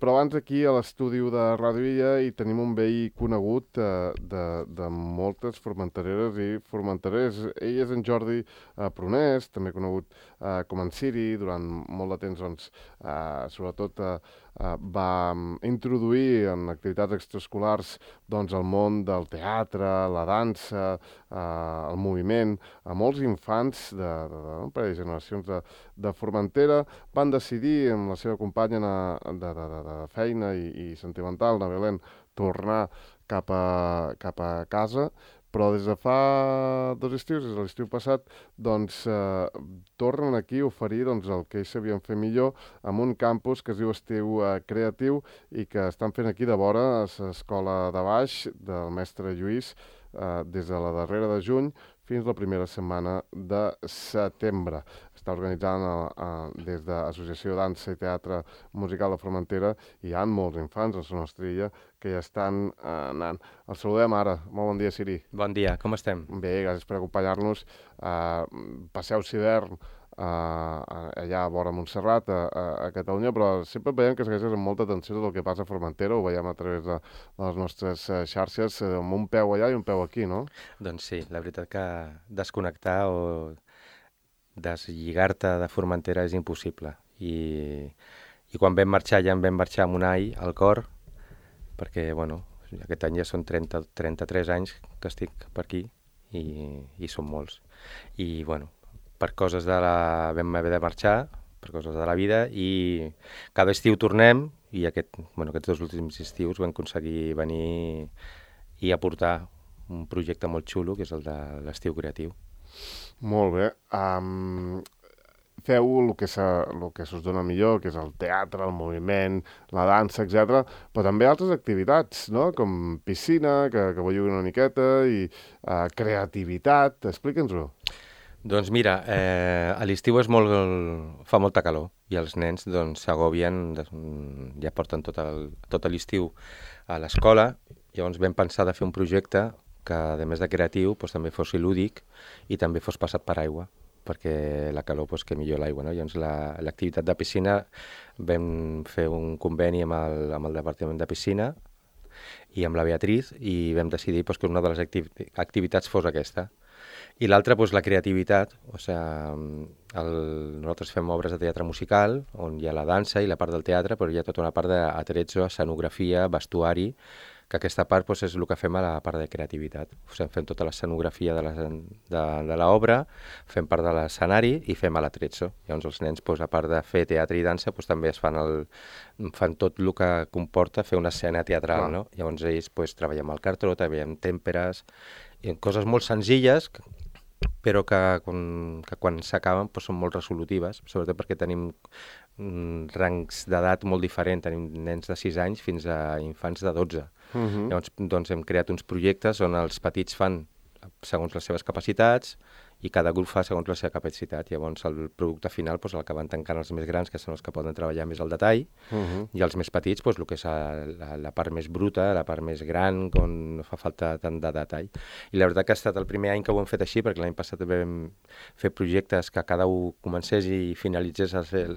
Però abans aquí a l'estudi de Ràdio Illa hi tenim un veí conegut de moltes formentereres i formenterers. Ell és en Jordi Prunès, també conegut com en Siri. Durant molt de temps, doncs, sobretot va introduir en activitats extraescolars doncs, el món del teatre, la dansa, el moviment, a molts infants un parell de generacions de Formentera. Van decidir, amb la seva companya de feina i sentimental, la Belén, tornar cap a casa, però des de fa 2 estius, des de l'estiu passat, doncs tornen aquí a oferir el que ells sabien fer millor amb un campus que es diu Estiu Creatiu i que estan fent aquí de vora a l'escola de baix del mestre Lluís des de la darrera de juny fins la primera setmana de setembre. Està organitzant des de l'Associació Dansa i Teatre Musical de Formentera i hi ha molts infants a la nostra illa que ja estan anant. El saludem ara. Molt bon dia, Siri. Bon dia, com estem? Bé, gràcies per acompanyar-nos. Passeu l'hivern allà a vora Montserrat, a Catalunya, però sempre veiem que segueixes amb molta atenció tot el que passa a Formentera, ho veiem a través de les nostres xarxes, amb un peu allà i un peu aquí, no? Doncs sí, la veritat que desconnectar o deslligar-te de Formentera és impossible. I quan vam marxar, ja en vam marxar amb un all al cor, perquè, bueno, aquest any ja són 33 anys que estic per aquí i són molts. I, bueno, per coses vam haver de marxar, per coses de la vida, i cada estiu tornem, i aquests 2 últims estius vam aconseguir venir i aportar un projecte molt xulo, que és el de l'Estiu Creatiu. Molt bé. Feu el que s'us dona millor, que és el teatre, el moviment, la dansa, etc. Però també altres activitats, no? Com piscina, que belluguin una miqueta, i creativitat. Explica'ns-ho. Doncs mira, a l'estiu fa molta calor i els nens s'agobien, ja porten tot l'estiu a l'escola. Llavors vam pensar de fer un projecte que, a més de creatiu, també fos lúdic i també fos passat per aigua, perquè la calor que millor l'aigua, no? Llavors l'activitat de piscina vam fer un conveni amb el Departament de Piscina i amb la Beatriz i vam decidir que una de les activitats fos aquesta. I l'altra, la creativitat. Nosaltres fem obres de teatre musical, on hi ha la dansa i la part del teatre, però hi ha tota una part d'attrezzo, escenografia, vestuari, que aquesta part és el que fem a la part de creativitat. Fem tota l'escenografia de l'obra, fem part de l'escenari i fem l'attrezzo. Llavors els nens, a part de fer teatre i dansa, també fan tot el que comporta fer una escena teatral, no? Llavors ells treballem el cartró, treballem tèmperes, coses molt senzilles, però que quan s'acaben són molt resolutives, sobretot perquè tenim rangs d'edat molt diferents, tenim nens de 6 anys fins a infants de 12. Llavors hem creat uns projectes on els petits fan segons les seves capacitats i cada grup fa segons la seva capacitat. Llavors el producte final l'acaben tancant els més grans, que són els que poden treballar més al detall, i els més petits el que és la part més bruta, la part més gran, on no fa falta tant de detall. I la veritat que ha estat el primer any que ho hem fet així, perquè l'any passat vam fer projectes que cada un comencés i finalitzés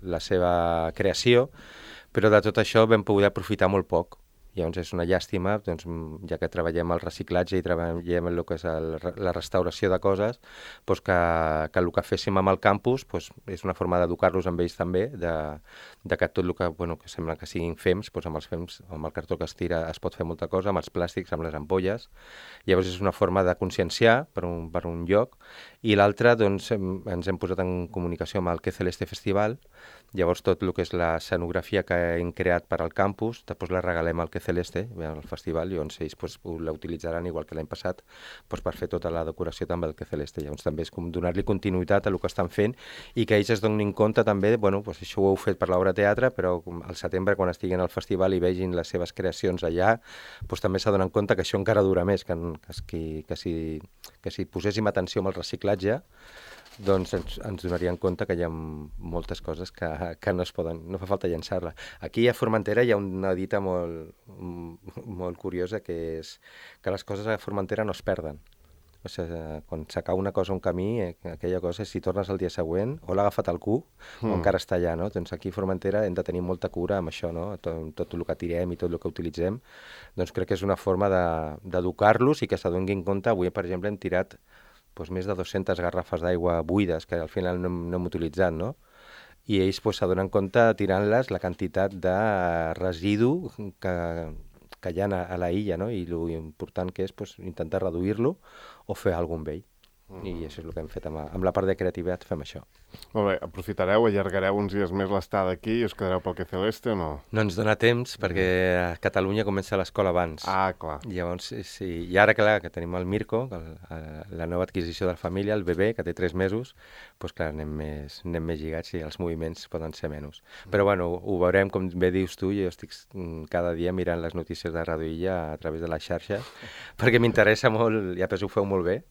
la seva creació, però de tot això vam poder aprofitar molt poc. Llavors és una llàstima, ja que treballem el reciclatge i treballem el que és la restauració de coses, que el que féssim amb el campus és una forma d'educar-los amb ells també, de que tot el que sembla que siguin fems, amb els fems, amb el cartó que es tira es pot fer molta cosa, amb els plàstics, amb les ampolles. Llavors és una forma de conscienciar per un lloc. I l'altre, ens hem posat en comunicació amb el Que Celeste Festival. Llavors tot el que és l'escenografia que hem creat per al campus, després la regalem al Que Celeste, al festival, i ells la utilitzaran igual que l'any passat per fer tota la decoració també del Que Celeste. Llavors també és com donar-li continuïtat a el que estan fent i que ells es donin compte també, això ho heu fet per l'obra de teatre, però al setembre quan estiguin al festival i vegin les seves creacions allà, també s'adonen compte que això encara dura més, que si poséssim atenció amb el reciclatge, ens donaríem compte que hi ha moltes coses que no fa falta llançar-la. Aquí a Formentera hi ha una dita molt curiosa, que és que les coses a Formentera no es perden. O sigui, quan s'acaba una cosa, un camí, aquella cosa, si tornes el dia següent, o l'ha agafat al cul, o encara està allà, no? Doncs aquí a Formentera hem de tenir molta cura amb això, no? Tot el que tirem i tot el que utilitzem. Doncs crec que és una forma d'educar-los i que s'adonguin compte. Avui, per exemple, hem tirat més de 200 garrafes d'aigua buides que al final no hem utilitzat, no? I ells s'adonen compte, tirant-les, la quantitat de residu que hi ha a la illa, no? I l'important que és intentar reduir-lo o fer alguna cosa amb ell. I això és el que hem fet amb la part de creativitat, fem això. Molt bé, aprofitareu, allargareu uns dies més l'estada aquí i us quedareu pel Que Celeste o no? No ens dona temps perquè a Catalunya comença l'escola abans. Ah, clar. Llavors, sí. I ara, clar, que tenim el Mirko, la nova adquisició de la família, el bebè, que té 3 mesos, doncs clar, anem més lligats i els moviments poden ser menys. Però bueno, ho veurem, com bé dius tu, jo estic cada dia mirant les notícies de Radio Illa a través de les xarxes, perquè m'interessa molt, ja ho feu molt bé,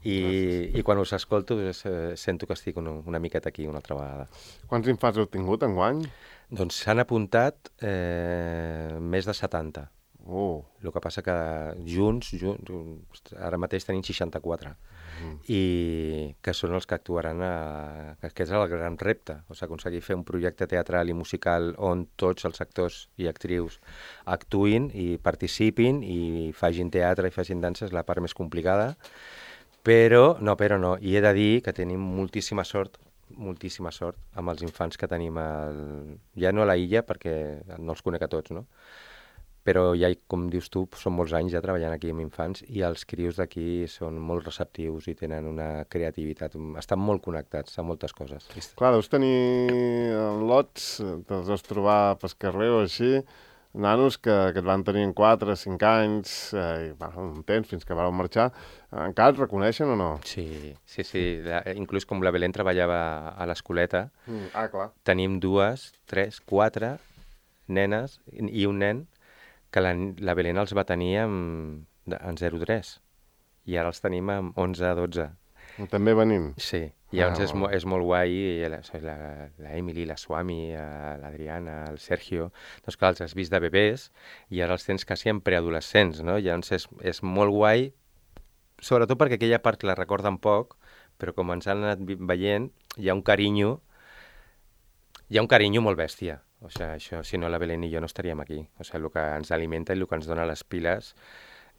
i quan us escolto sento que estic una miqueta aquí una altra vegada. Quants infants heu tingut enguany? Doncs s'han apuntat més de 70. El que passa que junts, ara mateix tenim 64. I que són els que actuaran, que és el gran repte, o sigui, aconseguir fer un projecte teatral i musical on tots els actors i actrius actuïn i participin i facin teatre i facin dansa és la part més complicada. Però no, i he de dir que tenim moltíssima sort amb els infants que tenim ja no a la illa, perquè no els conec a tots, no? Però ja, com dius tu, són molts anys ja treballant aquí amb infants i els crios d'aquí són molt receptius i tenen una creativitat, estan molt connectats a moltes coses. Clar, deus tenir lots, te'ls deus trobar pel carrer o així, nanos que et van tenir en 4, 5 anys, un temps fins que van marxar. Encara et reconeixen o no? Sí. Inclús com la Belén treballava a l'escoleta, clar. Tenim 2, 3, 4 nenes i un nen que la Belén els va tenir en 0,3 i ara els tenim amb 11, 12. També venim? Sí, i llavors és molt guai, la Emily, la Swami, l'Adriana, el Sergio, doncs clar, els has vist de bebès i ara els tens quasi en preadolescents, no? Llavors és molt guai, sobretot perquè aquella part la recorden poc, però com ens han anat veient, hi ha un carinyo molt bèstia. O sigui, això, si no la Belén i jo no estaríem aquí. O sigui, el que ens alimenta i el que ens dona les piles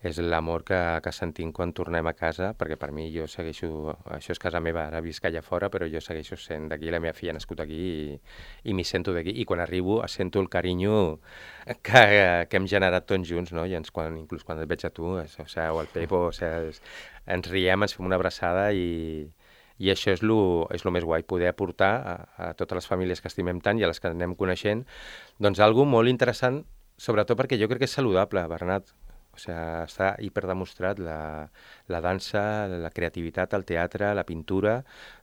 és l'amor que sentim quan tornem a casa, perquè per mi jo segueixo... Això és casa meva, ara visc allà fora, però jo segueixo sent d'aquí, la meva filla ha nascut aquí i m'hi sento d'aquí. I quan arribo sento el carinyo que hem generat tots junts, no? I inclús quan et veig a tu, o el Pepo, ens riem, ens fem una abraçada i això és el més guai, poder aportar a totes les famílies que estimem tant i a les que anem coneixent, doncs alguna molt interessant, sobretot perquè jo crec que és saludable, Bernat. O sigui, està hiperdemostrat, la dansa, la creativitat, el teatre, la pintura,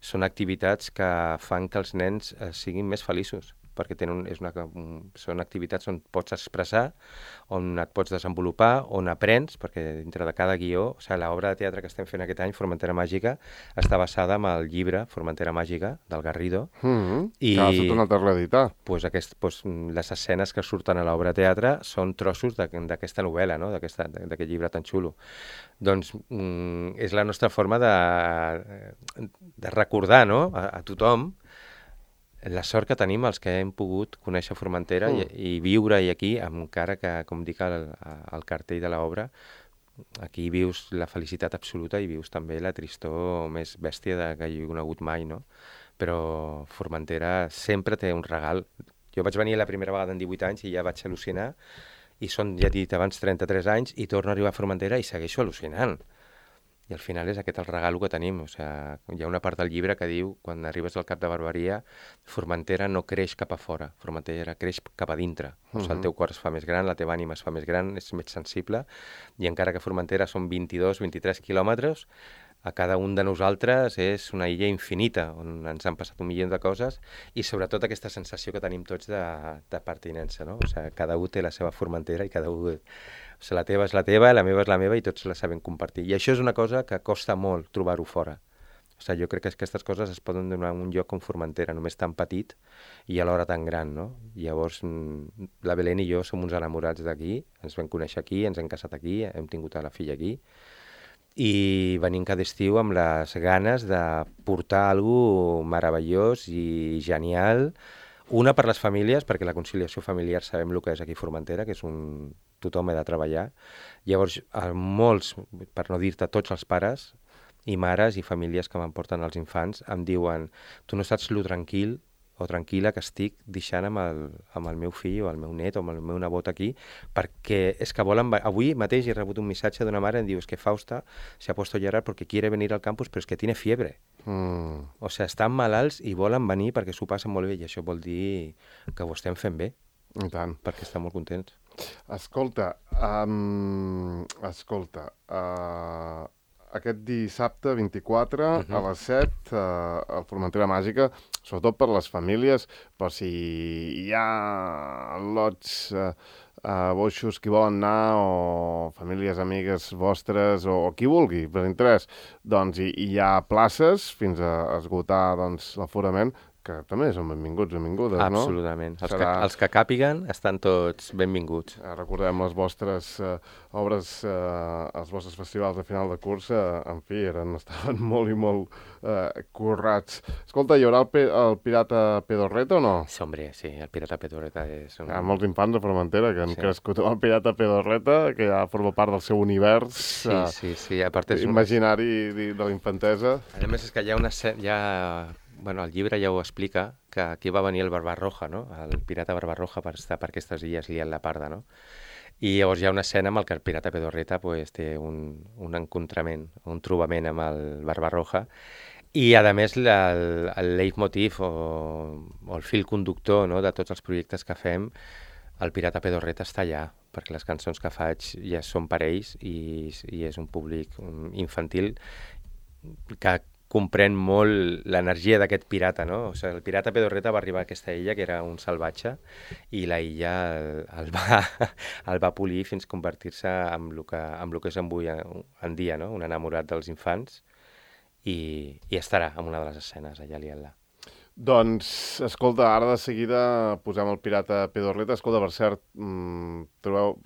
són activitats que fan que els nens siguin més feliços, perquè són activitats on pots expressar, on et pots desenvolupar, on aprens, perquè dintre de cada guió, o sigui, l'obra de teatre que estem fent aquest any, Formentera Màgica, està basada en el llibre Formentera Màgica, del Garrido. I ha estat una altra reeditar. Les escenes que surten a l'obra de teatre són trossos d'aquesta novel·la, no? D'aquest llibre tan xulo. Doncs és la nostra forma de recordar, no? a tothom la sort que tenim els que hem pogut conèixer Formentera i viure-hi aquí, encara que, com dic al cartell de l'obra, aquí vius la felicitat absoluta i vius també la tristor més bèstia que hi he conegut mai, no? Però Formentera sempre té un regal. Jo vaig venir la primera vegada en 18 anys i ja vaig al·lucinar, i són, ja he dit abans, 33 anys, i torno a arribar a Formentera i segueixo al·lucinant. I al final és aquest el regal que tenim. O sigui, hi ha una part del llibre que diu, quan arribes al Cap de Barberia, Formentera no creix cap a fora, Formentera creix cap a dintre. O sigui, el teu cor es fa més gran, la teva ànima es fa més gran, és més sensible, i encara que Formentera són 22-23 quilòmetres, a cada un de nosaltres és una illa infinita, on ens han passat 1 milió de coses, i sobretot aquesta sensació que tenim tots de pertinença, no? O sigui, cada un té la seva Formentera i cada un... O sigui, la teva és la teva, la meva és la meva, i tots la sabem compartir. I això és una cosa que costa molt trobar-ho fora. O sigui, jo crec que aquestes coses es poden donar en un lloc com Formentera, només tan petit i alhora tan gran, no? Llavors, la Belén i jo som uns enamorats d'aquí, ens vam conèixer aquí, ens hem casat aquí, hem tingut a la filla aquí, i venim cada estiu amb les ganes de portar alguna meravellós i genial. Una per les famílies, perquè la conciliació familiar sabem el que és aquí a Formentera, que és tothom ha de treballar. Llavors, molts, per no dir-te tots els pares i mares i famílies que m'emporten els infants, em diuen, tu no saps lo tranquil o tranquil·la que estic deixant amb el meu fill o el meu net o amb el meu nebot aquí, perquè és que volen... Avui mateix he rebut un missatge d'una mare que em diu, que Fausta se ha puesto a llorar porque quiere venir al campus, però és que tiene fiebre. O sigui, estan malalts i volen venir perquè s'ho passen molt bé, i això vol dir que ho estem fent bé. I tant. Perquè estan molt contents. Escolta, aquest dissabte 24 a les 7 a Formentera Màgica, sobretot per les famílies, però si hi ha lots boixos qui volen anar, o famílies amigues vostres, o qui vulgui, per interès, doncs hi ha places fins a esgotar l'aforament, que també són benvinguts, benvingudes, no? Absolutament. Els que càpiguen estan tots benvinguts. Recordem les vostres obres, els vostres festivals de final de cursa, en fi, estaven molt i molt currats. Escolta, hi haurà el Pirata Pedorreta o no? Sí, hombre, sí, el Pirata Pedorreta és... Hi ha molts infants de Formentera que han crescut amb el Pirata Pedorreta, que ja forma part del seu univers imaginari de la infantesa. A més, és que hi ha una... Bueno, el llibre ja ho explica, que aquí va venir el Barbarroja, no? El pirata Barbarroja per estar per aquestes illes liant la parda, no? I llavors hi ha una escena amb què el pirata Pedorreta té un encontrament, un trobament amb el Barbarroja, i a més el leitmotiv o el fil conductor, no?, de tots els projectes que fem, el pirata Pedorreta està allà, perquè les cançons que faig ja són per ells i és un públic infantil que comprèn molt l'energia d'aquest pirata, no? O sigui, el pirata Pedorreta va arribar a aquesta illa, que era un salvatge, i la illa el va polir fins a convertir-se en el que és avui en dia, no? Un enamorat dels infants, i estarà en una de les escenes allà a l'Iela. Doncs, escolta, ara de seguida posem el pirata Pedorreta. Escolta, per cert, trobeu...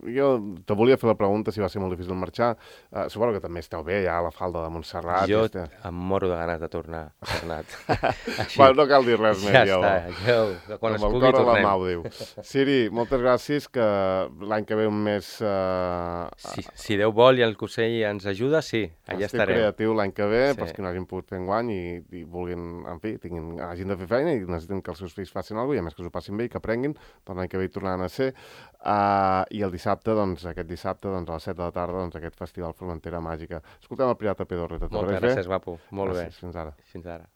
Jo te volia fer la pregunta si va ser molt difícil marxar. Suposo que també esteu bé, ja a la falda de Montserrat. Jo em moro de ganes de tornar, Bernat. Bueno, no cal dir res més, ja està, quan es pugui tornem. La mà ho diu. Siri, moltes gràcies, que l'any que ve un mes... Si Déu vol i el Consell ens ajuda, sí, allà estarem. Estic creatiu l'any que ve, pels que no hagin pogut fer enguany i vulguin, en fi, hagin de fer feina i necessiten que els seus fills facin alguna cosa, i a més que s'ho passin bé i que aprenguin, doncs l'any que ve hi tornaran a ser. I el dissabte, aquest dissabte, a les 7 de la tarda, aquest festival Formentera Màgica. Escoltem el pirata Pedorreta. Moltes gràcies, guapo. Molt bé. Fins ara. Fins ara.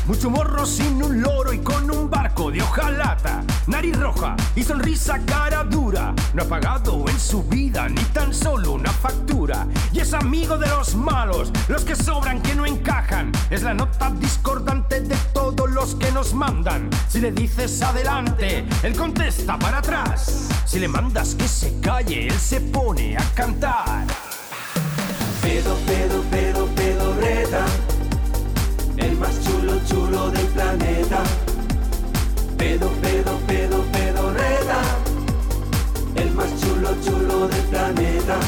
Mucho morro sin un loro y con un barco de hojalata. Nariz roja y sonrisa cara dura. No ha pagado en su vida ni tan solo una factura. Y es amigo de los malos, los que sobran, que no encajan. Es la nota discordante de todos los que nos mandan. Si le dices adelante, él contesta para atrás. Si le mandas que se calle, él se pone a cantar. Pedorreta, el más chulo del planeta. Pedorreta, el más chulo del planeta.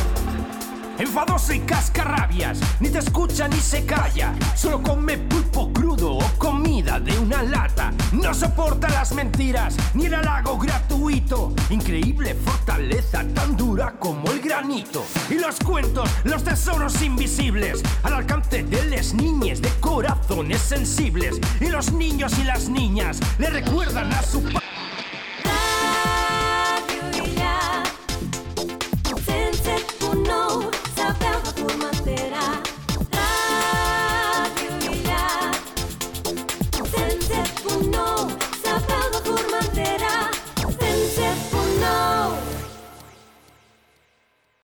Enfadoso y cascarrabias, ni te escucha ni se calla. Solo come pulpo crudo o comida de una lata. No soporta las mentiras ni el halago gratuito. Increíble fortaleza, tan dura como el granito. Y los cuentos, los tesoros invisibles, al alcance de las niñas de corazones sensibles. Y los niños y las niñas le recuerdan a su padre.